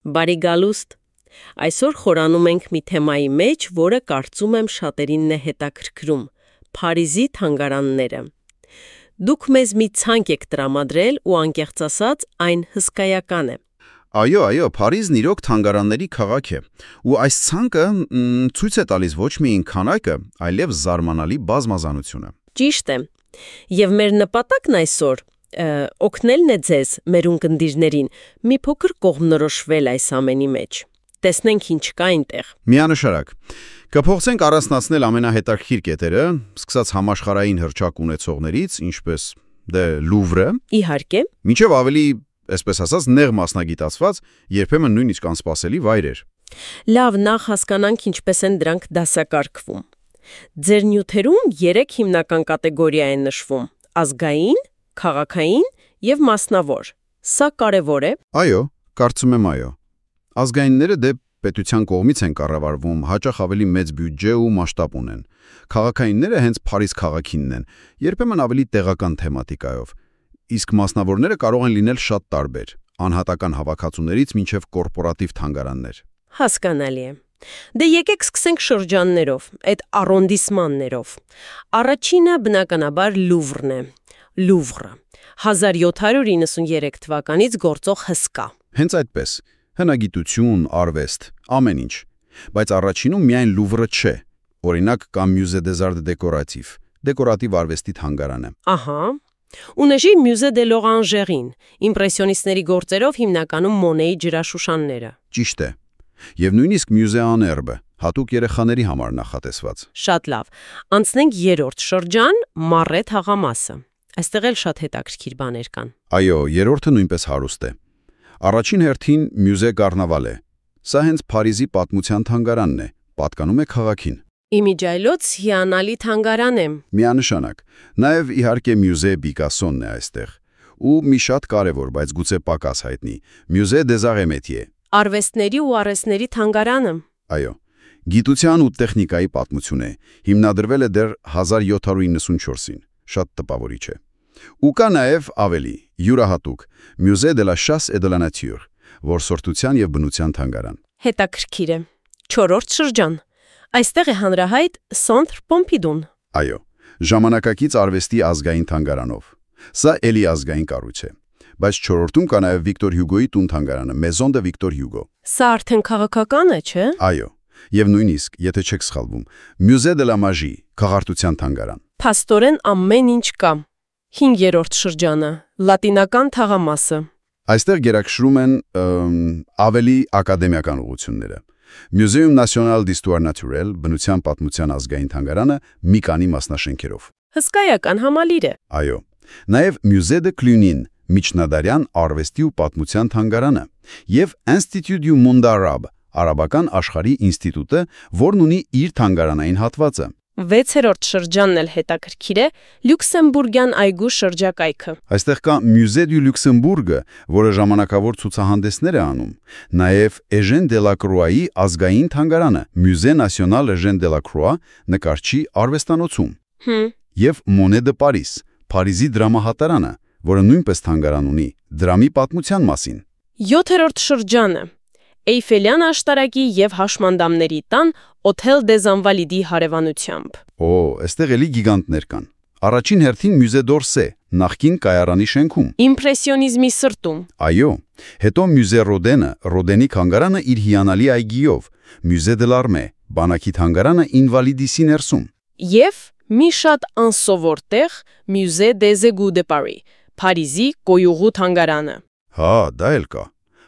Բարի գալուստ։ Այսօր խորանում ենք մի թեմայի մեջ, որը կարծում եմ շատերին է հետաքրքրում՝ Փարիզի թանգարանները։ Դուք մեզ մի ցանկ եք տրամադրել ու անկեղծ ասած այն հսկայական է։ Այո, Փարիզն իրոք թանգարանների քաղաք է, ու այս ցանկը ցույց է տալիս ոչ միայն քանակը, այլև զարմանալի բազմազանությունը։ Ճիշտ է։ Եվ մեր նպատակն այսօր օգնելն է ձեզ, մեր ունկնդիրներին, մի փոքր կողմնորոշվել այս ամենի մեջ։ Տեսնենք ինչ կա այնտեղ։ Միանշարակ։ Կփորձենք առանձնացնել ամենահետաքրքիր կետերը, սկսած համաշխարհային հռչակ ունեցողներից, ինչպես Լուվրը, Իհարկե։ մինչև ավելի, այսպես ասած, նեղ մասնագիտացված, երբեմն նույնիսկ անսպասելի վայրեր։ Լավ, նախ հասկանանք ինչպես են դրանք դասակարգվում։ Ձեր նյութերում 3 հիմնական կատեգորիա են նշվում՝ ազգային, քաղաքային եւ մասնավոր։ Սա կարևոր է։ Այո, կարծում եմ այո։ Ազգայինները պետության կողմից են կառավարվում, հաճախ ավելի մեծ բյուջե ու մասշտաբ ունեն։ Քաղաքայինները հենց Փարիզ քաղաքինն են, երբեմն ավելի տեղական թեմատիկայով։ Իսկ մասնավորները կարող են լինել շատ տարբեր, անհատական հավաքածուներից մինչև կորպորատիվ թանգարաններ։ Հասկանալի է։ Դե եկեք սկսենք շրջաններով, այդ արոնդիսմաններով։ Առաջինը բնականաբար Լուվրն է։ Լուվրը 1793 թվականից գործող հսկա։ Հենց այդպես, հնագիտություն, արվեստ, ամեն ինչ։ Բայց առաջինում միայն Լուվրը չէ։ Օրինակ կա Musée des Arts Décoratifs, դեկորատիվ արվեստի թանգարանը։ Ահա։ Ունեժի Musée de l'Orangerie, իմպրեսիոնիստների գործերով հիմնականում Մոնեի ջրաշուշանները։ Ճիշտ է։ Եվ նույնիսկ Musée en Herbe, հատուկ երեխաների համար նախատեսված։ Շատ լավ։ Անցնենք երրորդ շրջան՝ Մարե թաղամասը։ Այստեղ էլ շատ հետաքրքիր բաներ կան։ Այո, երրորդը նույնպես հարուստ է։ Առաջին հերթին Musée Carnaval է։ Սա հենց Փարիզի պատմության թանգարանն է, պատկանում է քաղաքին։ Իմիջայլոց հիանալի թանգարան է։ Միանշանակ։ Նաև իհարկե Musée Picasso-ն է այստեղ։ Ու մի շատ կարևոր, բայց գուցե պակաս հայտնի, Musée des Arts et Métiers։ Արվեստների ու արհեստների թանգարանը։ Այո, գիտության ու տեխնիկայի պատմություն է, հիմնադրվել է դեռ 1794-ին, շատ տպավորիչ է։ Ու կա նաև ավելի, յուրահատուկ, Musée de la Chasse et de la Nature, որսորդության և բնության թանգարան։ Հետաքրքիր է։ Չորրորդ շրջան։ Այստեղ է հանրահայտ Centre Pompidou-ն։ Այո, ժամանակակից արվեստի ազգային թանգարանով։ Սա էլի ազգային կառույց է։ Բայց չորրորդում կա նաև Վիկտոր Հյուգոյի տուն թանգարանը, Maison de Victor Hugo։ Սա արդեն քաղաքական է, չէ՞։ Այո, եւ նույնիսկ, եթե չեք սխալվում, Musée de la Magie, քաղաքարտության թանգարան։ Փաստորեն ամեն ինչ կա։ 5-րդ շրջանը՝ Լատինական թաղամասը։ Այստեղ գերակշռում են ավելի ակադեմիական ուղղությունները։ Muséum National d'Histoire Naturelle, բնության պատմության ազգային թանգարանը մի քանի մասնաշենքերով։ Հսկայական համալիր է։ Այո, նաև Musée de Cluny-ն, միջնադարյան արվեստի ու պատմության թանգարանը, եւ Institut du Monde Arabe, արաբական աշխարհի ինստիտուտը, որն ունի իր թանգարանային հատվածը։ 6-րդ շրջանն էլ հետաքրքիր է՝ Լյուքսեմբուրգյան այգու շրջակայքը։ Այստեղ կա Musée du Luxembourg-ը, որը ժամանակավոր ցուցահանդեսներ է անում, նաև Eugène Delacroix-ի ազգային թանգարանը, Musée National Eugène Delacroix, նկարչի արվեստանոցում։ Եվ Monet de Paris, Փարիզի դրամահատարանը, որը նույնպես թանգարան ունի դրամի պատմության մասին։ 7-րդ շրջանը Էյֆելյան աշտարակի եւ հաշմանդամների տան Hôtel des Invalides հարևանությամբ։ Այստեղ էլի գիգանտներ կան։ Առաջին հերթին Musée d'Orsay, նախկին կայարանի շենքում։ Իմպրեսիոնիզմի սրտում։ Այո, հետո Musée Rodin-ը, Rodin-ի թանգարանը իր հիանալի այգիով, Musée de l'Armée, բանակի թանգարանը Invalides-ի ներսում։ Եվ մի շատ անսովոր տեղ Musée des Égouts de Paris, Փարիզի կոյուղու թանգարանը։ Դա էլ կա։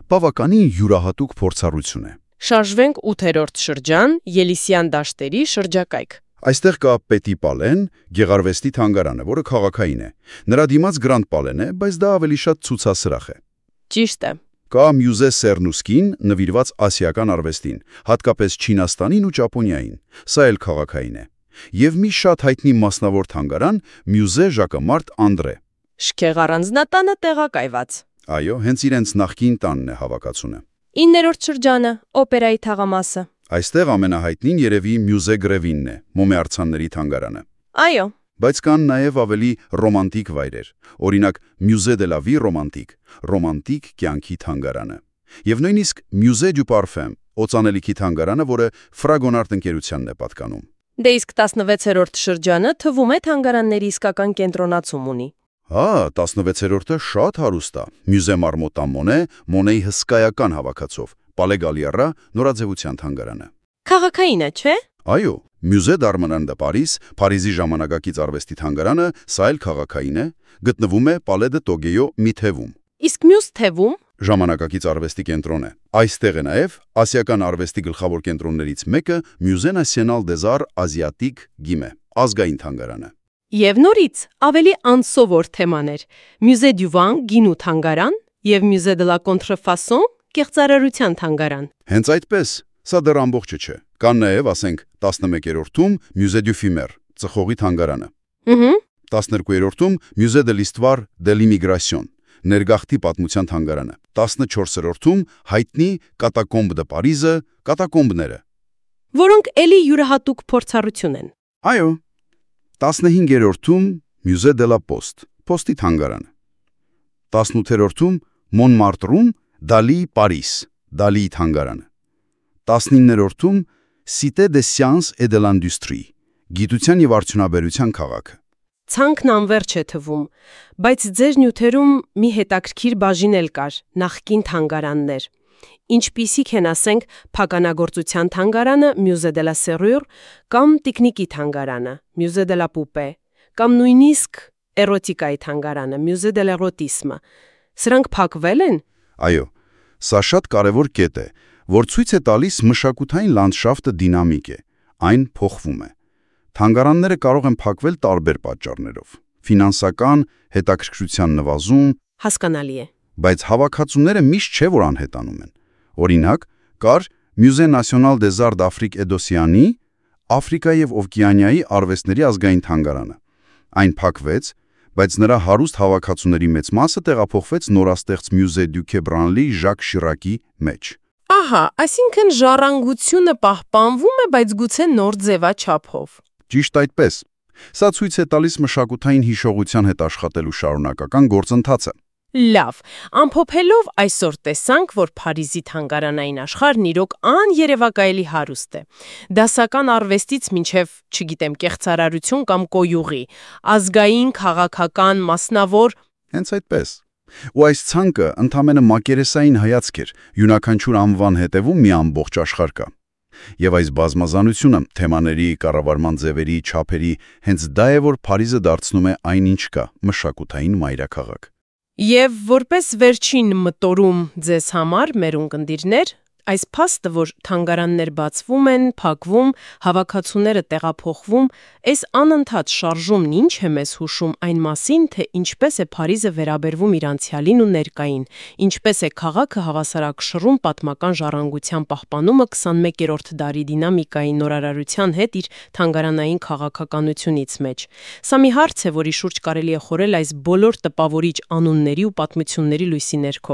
Բավականին յուրահատուկ փորձառություն է։ Շարժվենք 8-րդ շրջան, Ելիսյան դաշտերի շրջակայք։ Այստեղ կա Պետի Պալեն, գեղարվեստի թանգարանը, որը քաղաքային է։ Նրա դիմաց Գրանդ Պալեն է, բայց դա ավելի շատ ցուցասրահ է։ Ճիշտ է։ Կա Musée Cernuskin, նվիրված ասիական արվեստին, հատկապես Չինաստանին ու Ճապոնիային։ Սա էլ քաղաքային է։ Եվ մի շատ հայտնի մասնավոր թանգարան Musée Jacquemart André։ Շքեղ առանձնատանը տեղակայված։ Այո, հենց իրենց նախկին տանն է հավաքածունը։ 9-րդ շրջանը Օպերայի թաղամասը։ Այստեղ ամենահայտնին երևի Musée Grévin-ն է, Մոմե թանգարանը։ Այո։ Բայց կան նաև ավելի ռոմանտիկ վայրեր, օրինակ Musée de la Vie Romantique, ռոմանտիկ կյանքի թանգարանը։ Եվ նույնիսկ Musée du Parfum, օծանելիքի թանգարանը, որը Fragonard ընկերությանն է պատկանում։ Դե իսկ 16-րդ շրջանը թվում է թանգարանների իսկական կենտրոնացում ունի։ 16-րդը շատ հարուստ է։ Musée Marmottan Monet, Monet-ի հսկայական հավաքածով, Palais Galliera նորաձևության թանգարանը։ Քաղաքային է, չէ՞։ Այո, Musée d'Armenan de Paris, Փարիզի ժամանակակից արվեստի թանգարանը, սա էլ քաղաքային է, գտնվում է Palais de Tokyo մի թևում։ Իսկ մյուս թևում Ժամանակակից արվեստի կենտրոն է։ Այստեղ է նաև ասիական արվեստի գլխավոր կենտրոններից մեկը Musée National des Arts Asiatiques Guimet, ազգային թանգարանը։ Եվ նորից ավելի անսովոր թեմաներ՝ Musée du Vin գինու թանգարան եւ Musée de la Contrefaçon կեղծարարության թանգարան։ Հենց այդպես, սա դեռ ամբողջը չէ։ Կան նաև, ասենք, 11-րդում Musée du Fumer, ծխողի թանգարանը։ 12-րդում Musée de l'Histoire de l'Immigration, ներգաղթի պատմության թանգարանը։ 14-րդում հայտնի Catacombe de Paris-ը, կատակոմբները։ Որոնք էլի յուրահատուկ փորձառություն են։ Այո։ 15-րդում Musée de la Poste, Post-ի թանգարանը։ 18-րդում Montmartre-ում Dali Paris, Dali-ի թանգարանը։ 19-րդում Cité des Sciences et de l'Industrie, գիտության եւ արդյունաբերության քաղաքը։ Ցանկն անverջ է թվում, բայց ձեր նյութերում մի հետաքրքիր բաժին էլ կար՝ նախկին թանգարաններ։ Ինչպիսիք են, ասենք, փականագործության թանգարանը Musée de la Serrure կամ տիկնիկի թանգարանը Musée de la Poupée կամ նույնիսկ էրոտիկայի թանգարանը Musée de l'Érotisme։ Սրանք փակվել են։ Այո, սա շատ կարևոր կետ է, որ ցույց է տալիս մշակութային լանդշաֆտը դինամիկ է, այն փոխվում է։ Թանգարանները կարող են փակվել տարբեր պատճառներով՝ ֆինանսական, հետաքրքրության նվազում, հասկանալի է։ Բայց հավաքածուները միշտ չէ, որ անհետանում են։ Օրինակ, կար Musée National des Arts d'Afrique et d'Océanie, Աֆրիկայի եւ Օվկիանիայի արվեստների ազգային թանգարանը։ Այն փակվեց, բայց նրա հարուստ հավաքածուների մեծ մասը տեղափոխվեց նորաստեղծ Musée du Quai Branly Jacques Chirac-ի մեջ։ Ահա, այսինքն ժառանգությունը պահպանվում է, բայց գուցե նոր ձևաչափով։ Ճիշտ այդպես։ Սա ցույց է տալիս մշակութային հիշողության հետ աշխատելու շարունակական գործընթացը։ Լավ, ամփոփելով այսօր տեսանք, որ Փարիզի թանգարանային աշխարհն իրոք աներևակայելի հարուստ է։ Դասական արվեստից մինչև, չգիտեմ, կեղծարարություն կամ կոյուղի, ազգային, քաղաքական, մասնավոր։ Հենց այդպես։ Ու այս ցանկը ընդամենը մակերեսային հայացք էր, յուրաքանչյուր անվան հետևում մի ամբողջ աշխարհ կա։ Եվ այս բազմազանությունը թեմաների, կառավարման ձևերի, չափերի, հենց դա է, որ Փարիզը դարձնում է այն, ինչ կա՝ մշակութային մայրաքաղաք։ Եվ որպես վերջին մտորում ձեզ համար, մեր ունկնդիրներ, այս փաստը, որ թանգարաններ բացվում են, փակվում, հավաքածուները տեղափոխվում, այս անընդհատ շարժումն ինչ է մեզ հուշում այն մասին, թե ինչպես է Փարիզը վերաբերվում իր անցյալին ու ներկային, ինչպես է քաղաքը հավասարակշռում պատմական ժառանգության պահպանումը 21-րդ դարի դինամիկայի նորարարության հետ իր թանգարանային քաղաքականությունից մեջ։ Սա մի հարց է, որի շուրջ կարելի է խորել այս բոլոր տպավորիչ անունների ու պատմությունների լույսի ներքո։